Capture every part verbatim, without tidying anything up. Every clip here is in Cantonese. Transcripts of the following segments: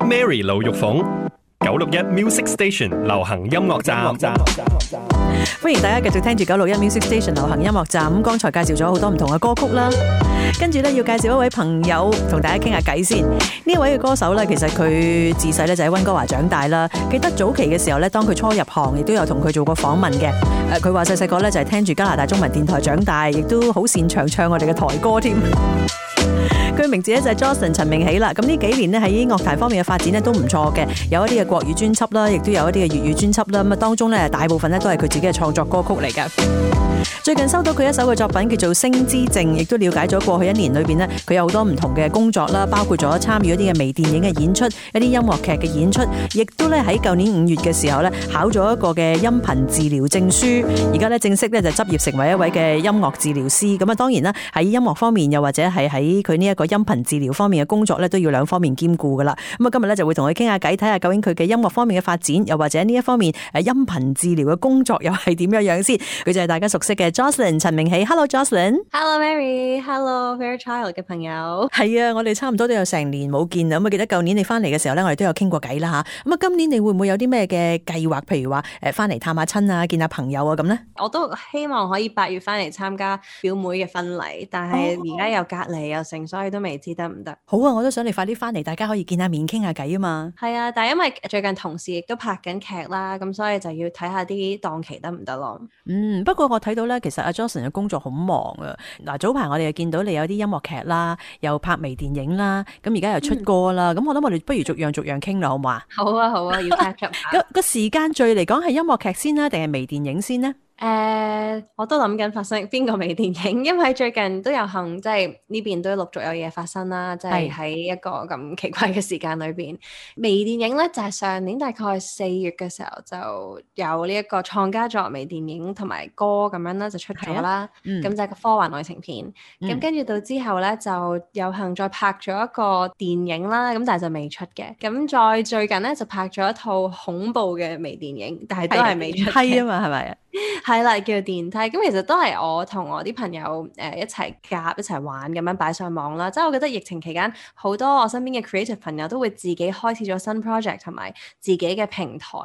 Mary 盧玉鳳，九六一 Music Station 流行音樂站。歡迎大家繼續聽住九六一 Music Station 流行音樂站。咁剛才介紹咗好多唔同嘅歌曲啦，跟住咧要介紹一位朋友同大家傾下偈先。呢一位嘅歌手咧，其實佢自細咧就喺溫哥華長大啦。記得早期嘅時候咧，當佢初入行，亦都有同佢做過訪問嘅。誒，佢話細細個咧就係聽住加拿大中文電台長大，亦都好擅長唱我哋嘅台歌添。佢名字咧就係 Jocelyn 陳明喜啦。咁呢幾年咧喺樂壇方面嘅發展咧都唔錯嘅，有一啲嘅國語專輯啦，亦都有一啲嘅粵語專輯啦。咁啊當中咧大部分咧都係佢自己嘅創作歌曲嚟嘅。最近收到佢一首嘅作品叫做《星之證》，亦都了解咗過去一年裏邊呢，佢有好多唔同嘅工作啦，包括咗參與一啲嘅微電影嘅演出，一啲音樂劇嘅演出，亦都咧喺舊年五月嘅時候咧考咗一個嘅音頻治療證書，而家咧正式咧就執業成為一位嘅音樂治療師。咁啊當然啦，喺音樂方面又或者係喺佢呢一個音頻治療方面嘅工作咧，都要兩方面兼顧噶啦。咁啊今日咧就會同佢傾下偈，睇下究竟佢嘅音樂方面嘅發展，又或者呢一方面誒音頻治療嘅工作又係點樣樣先。佢就係大家熟悉嘅 Jocelyn 陳明喜。 Hello Jocelyn。 Hello Mary。 Hello Fairchild 嘅朋友。係啊，我哋差唔多都有成年冇見啦。咁啊記得舊年你翻嚟嘅時候咧，我哋都有傾過偈啦吓。咁啊今年你會唔會有啲咩嘅計劃？譬如話誒翻嚟探下親啊，見下朋友啊咁咧？我都希望可以八月翻嚟參加表妹嘅婚禮，但係而家又隔離又成，所以都未知得唔得。好啊，我都想你快啲翻嚟，大家可以見下面傾下偈啊嘛。係啊，但係因為最近同事亦都拍緊劇啦，咁所以就要睇下啲檔期得唔得咯。嗯，不過我睇到咧，其實阿 Jocelyn 嘅工作好忙啊。嗱，早排我哋又見到你有啲音樂劇啦，又拍微電影啦，咁而家又出歌啦。咁、嗯、我諗我哋不如逐樣逐樣傾啦，好唔好啊？好啊，好啊，要 catch up 下。個時間序嚟講係音樂劇先啦，定係微電影先呢？誒、uh, 我都諗緊發生邊個微電影，因為最近都有幸即係呢邊都陸續有嘢發生啦，即係喺一個咁奇怪嘅時間裏邊。微電影咧就係、是、上年大概四月嘅時候就有呢一個創家作微電影同埋歌咁樣啦，就出咗啦。咁、嗯、就係個科幻愛情片。咁跟住到之後咧就有幸再拍咗一個電影啦，咁但係就未出嘅。咁再最近咧就拍咗一套恐怖嘅微電影，但係都係未出嘅。係啊嘛，係咪啊？係啦，叫電梯。咁其實都係我同我啲朋友誒、呃、一齊夾一齊玩咁樣擺上網啦。即係我覺得疫情期間好多我身邊嘅 creative 朋友都會自己開始咗新 project 同埋自己嘅平台，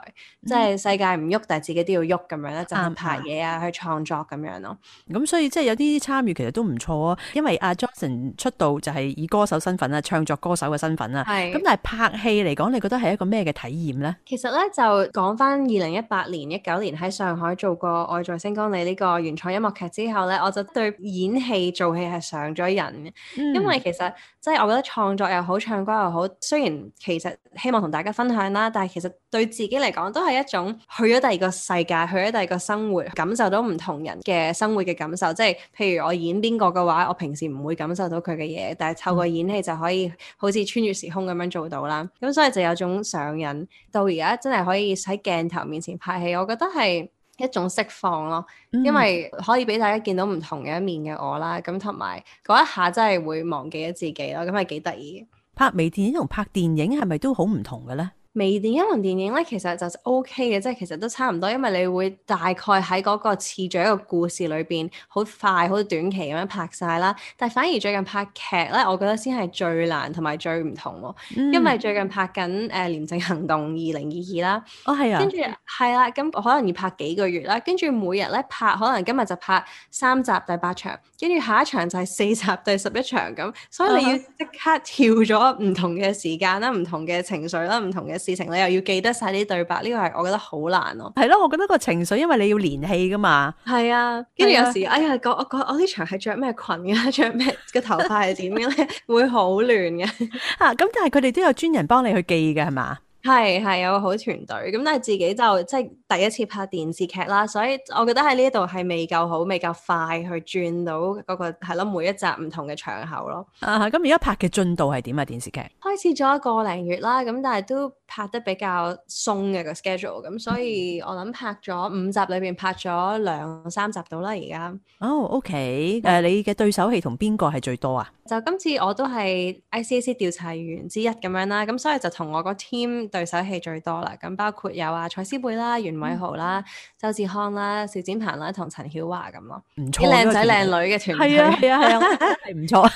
嗯、即係世界唔喐，但係自己都要喐咁樣咧，就係拍嘢啊，去創作咁樣咯。咁所以即係有啲參與其實都唔錯啊。因為阿 Jocelyn 出道就係以歌手身份啊，唱作歌手嘅身份啊。係。咁但係拍戲嚟講，你覺得係一個咩嘅體驗咧？其實咧就講翻二零一八年、一九年喺上海做過《愛在星光裡》呢個原創音樂劇之後咧，我就對演戲做戲係上咗癮嘅。嗯、因為其實即係我覺得創作又好，唱歌又好，雖然其實希望同大家分享啦，但係其實對自己嚟講都係一種去咗第二個世界，去咗第二個生活，感受到唔同人嘅生活嘅感受。即係譬如我演邊個嘅話，我平時唔會感受到佢嘅嘢，但係透過演戲就可以好似穿越時空咁樣做到啦。咁所以就有種上癮，到而家真係可以喺鏡頭面前拍戲，我覺得係一種釋放咯，因為可以俾大家見到唔同嘅一面嘅我啦，咁同埋嗰一下真係會忘記咗自己咯，咁係幾得意。拍微電影同拍電影係咪都好唔同嘅咧？微電影同電影咧，其實就 O K 嘅，即係其實都差唔多，因為你會大概喺嗰個次序一個故事裏邊，好快好短期咁樣拍晒啦。但係反而最近拍劇咧，我覺得先係最難同埋最唔同喎，嗯、因為最近拍緊誒、呃《廉政行動二零二二》啦。哦，係啊。跟住係啦，咁可能要拍幾個月啦，跟住每日咧拍，可能今日就拍三集第八場，跟住下一場就係四集第十一場咁，所以你要即刻跳咗唔同嘅時間啦、唔同嘅情緒啦、唔同嘅事情，你又要記得晒啲對白，呢、這個係我覺得好難咯。係咯，我覺得個情緒，因為你要連戲噶嘛。係啊，跟住有時哎呀，我我我呢場係着咩裙嘅，着咩個頭髮係點嘅咧，會好亂嘅。啊，咁但係佢哋都有專人幫你去記嘅係嘛？係係有個好團隊，咁但係自己就即係第一次拍電視劇啦，所以我覺得喺呢一度係未夠好，未夠快去轉到嗰、那個係咯，每一集唔同嘅場口咯。啊，咁而家拍嘅進度係點啊？電視劇開始咗一個零月啦，咁但係都拍得比較鬆嘅個 schedule，咁所以我諗拍咗五集裏邊拍咗兩三集到啦而家。哦 ，OK，誒、uh, 你嘅對手戲同邊個係最多啊？就今次我都係 I C A C 調查員之一咁樣啦，咁所以就同我個 team 對手戲最多啦。咁包括有啊蔡思貝啦、袁偉豪啦、嗯、周志康啦、邵展鵬啦同陳曉華咁咯，唔錯，啲靚仔靚女嘅團隊。係啊係啊係啊，係唔錯。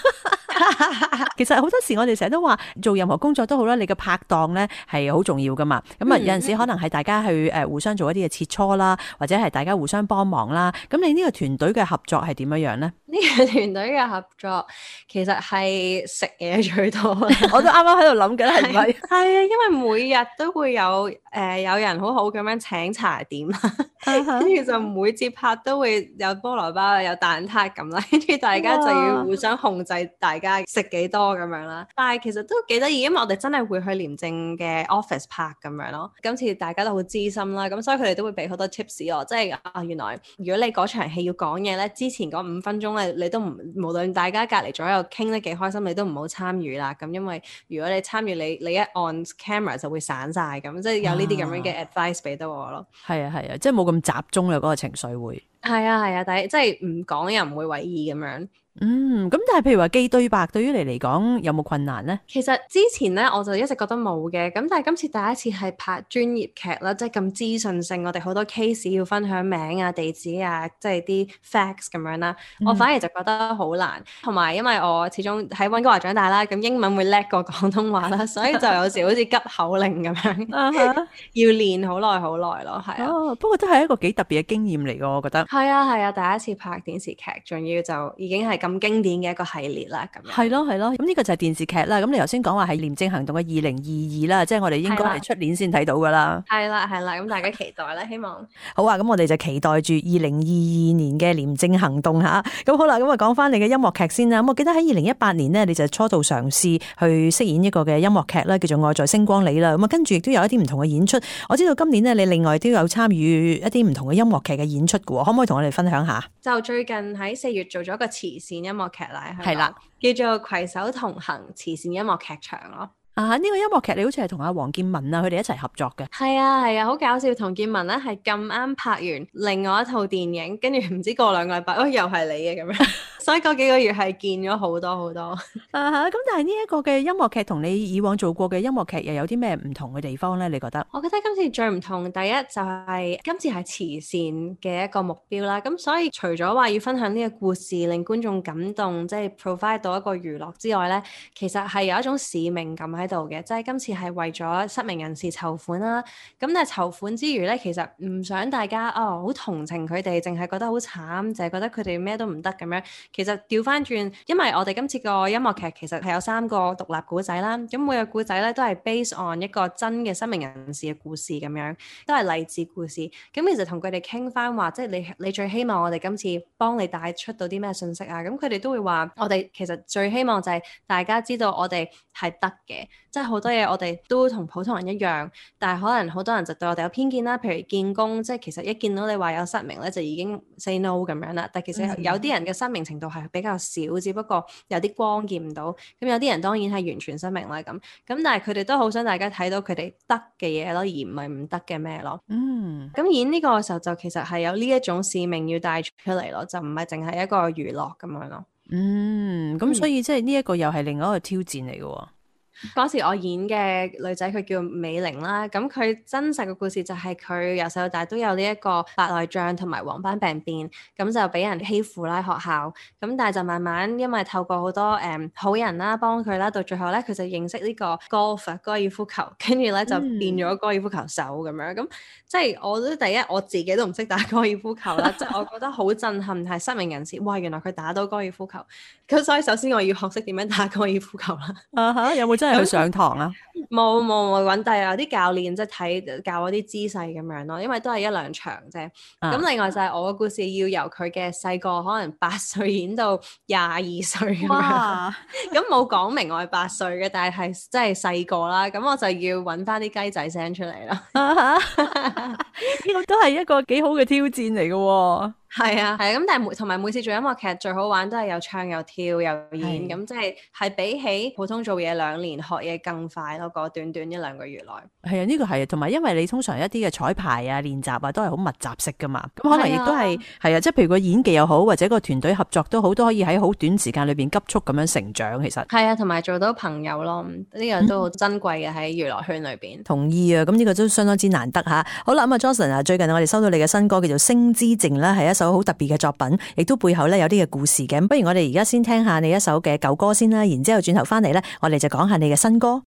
其實好多時我哋成日都話做任何工作都好啦，你嘅拍檔咧係好重要噶嘛。咁啊有陣時可能係大家去誒互相做一啲嘅切磋啦，或者係大家互相幫忙啦。咁你呢個團隊嘅合作係點樣樣咧？呢個團隊嘅合作其實係食嘢最多。我都啱啱喺度諗緊係咪？係啊，因為每日都會有誒、呃、有人好好咁樣請茶點啦，跟住、uh huh. 就每節拍都會有菠蘿包、有蛋撻咁啦，跟住大家就要互相控制大家食幾多咁樣啦。但係其實都幾得意，因為我哋真係會去廉政嘅 office 拍咁樣咯。今次大家都好資深啦，咁所以佢哋都會俾好多 tips 我，即係啊原來如果你嗰場戲要講嘢咧，之前嗰五分鐘咧你都唔無論大家隔離左右傾得幾開心，你都唔好參與啦。咁因為如果你參與，你你一按 camera 就會散晒咁，即係有呢啲咁樣嘅 advice 俾到我咯。係啊係啊，即係冇咁集中啦嗰個情緒會。係啊係啊，但係即係唔講又唔會為意咁樣。嗯，咁但係譬如話記對白，對於你嚟講有冇困難呢？其實之前咧我就一直覺得冇嘅，咁但係今次第一次係拍專業劇啦，即係咁資訊性，我哋好多 case 要分享名啊、地址啊，即係啲 facts 咁樣啦。嗯、我反而就覺得好難，同埋因為我始終喺溫哥華長大啦，咁英文會叻過廣東話啦，所以就有時好似急口令咁樣，要練好耐好耐咯，係啊、哦。不過都係一個幾特別嘅經驗嚟㗎，我覺得。係啊係啊，第一次拍電視劇，仲要就已經係咁經典嘅一個系列啦，咁樣係咯係咯，咁呢個就係電視劇啦。咁你頭先講話係廉政行動嘅二零二二啦，即係我哋應該係出年先睇到噶啦。係啦係啦，咁大家期待啦，希望好啊。咁我哋就期待住二零二二年嘅廉政行動吓。咁好啦，咁啊講翻你嘅音樂劇先啦。咁我記得喺二零一八年呢，你就初度嘗試去飾演一個嘅音樂劇啦，叫做《愛在星光裏》啦。咁啊跟住亦都有一啲唔同嘅演出。我知道今年呢，你另外都有參與一啲唔同嘅音樂劇嘅演出嘅，可唔可以同我哋分享下？就最近喺四月做咗一個慈善音樂劇啦，係啦，叫做攜手同行慈善音樂劇場咯。啊！呢、這個音樂劇你好似係同阿黃建文啊，佢哋一齊合作嘅。係啊係啊，好搞笑！同建文咧係咁啱拍完另外一套電影，跟住唔知過兩個禮拜，哦又係你嘅咁樣，所以嗰幾個月係見咗好多好多。啊哈！咁但係呢一個嘅音樂劇同你以往做過嘅音樂劇又有啲咩唔同嘅地方咧？你覺得？我覺得今次最唔同，第一就係、是、今次係慈善嘅一個目標啦。咁所以除咗話要分享呢個故事，令觀眾感動，即係 provide 到一個娛樂之外咧，其實係有一種使命感喺度嘅，即係今次係為咗失明人士籌款啦。咁但係籌款之餘咧，其實唔想大家哦好同情佢哋，淨係覺得好慘，淨係覺得佢哋咩都唔得咁樣。其實調翻轉，因為我哋今次個音樂劇其實係有三個獨立故仔啦。咁每個故仔咧都係 based on 一個真嘅失明人士嘅故事咁樣，都係勵志故事。咁其實同佢哋傾翻話，即係你你最希望我哋今次幫你帶出到啲咩信息啊？咁佢哋都會話，我哋其實最希望就係大家知道我哋係得嘅，即係好多嘢我哋都同普通人一樣，但係可能好多人就對我哋有偏見啦。譬如見工，即係其實一見到你話有失明咧，就已經 say no 咁樣啦。但係其實有啲人嘅失明程度係比較少，只不過有啲光見唔到。咁有啲人當然係完全失明啦咁。咁但係佢哋都好想大家睇到佢哋得嘅嘢咯，而唔係唔得嘅咩咯。嗯。咁演呢個嘅時候就其實係有呢一種使命要帶出嚟咯，就唔係淨係一個娛樂咁樣咯。嗯。咁所以即係呢一個又係另外一個挑戰嚟嘅。嗰時我演嘅女仔佢叫美玲啦，咁佢真實嘅故事就係佢由細到大都有呢一個白內障同埋黃斑病變，咁就俾人欺負啦學校，咁但係就慢慢因為透過好多誒、嗯、好人啦幫佢啦，到最後咧佢就認識呢個 golf 高爾夫球，跟住咧就變咗高爾夫球手咁樣，咁即係我都第一我自己都唔識打高爾夫球啦，即係我覺得好震撼係失明人士，哇原來佢打到高爾夫球，咁所以首先我要學識點樣打高爾夫球啦。啊哈，有冇真係去上堂啊？冇冇冇揾第有啲教練即係睇教我啲姿勢咁樣咯，因為都係一兩場啫。咁、啊、另外就係我嘅故事要由佢嘅細個可能八歲演到廿二歲咁樣。咁冇講明我係八歲嘅，但係係真係細個啦。咁我就要揾翻啲雞仔聲出嚟啦。呢個都係一個幾好嘅挑戰嚟嘅。係啊，係啊，咁但係每同埋每次做音樂劇最好玩都係有唱有跳又演，咁即係係比起普通做嘢兩年學嘢更快咯，個短短一兩個月內。係啊，呢個係，同埋因為你通常一啲嘅彩排啊、練習啊都係好密集式噶嘛，咁可能亦都係係啊，即係譬如個演技又好，或者個團隊合作都好，都可以喺好短時間裏邊急速咁樣成長。其實係啊，同埋做到朋友咯，呢、這個都好珍貴嘅喺娛樂圈裏邊。同意啊，咁呢個都相當之難得吓。好啦，咁啊 Johnson 啊，最近我哋收到你嘅新歌叫做《星之靜》啦，係一首首好特別嘅作品，亦都背後咧有啲嘅故事嘅。不如我哋而家先聽下你一首嘅舊歌先啦，然之後轉頭翻嚟咧，我哋就講下你嘅新歌。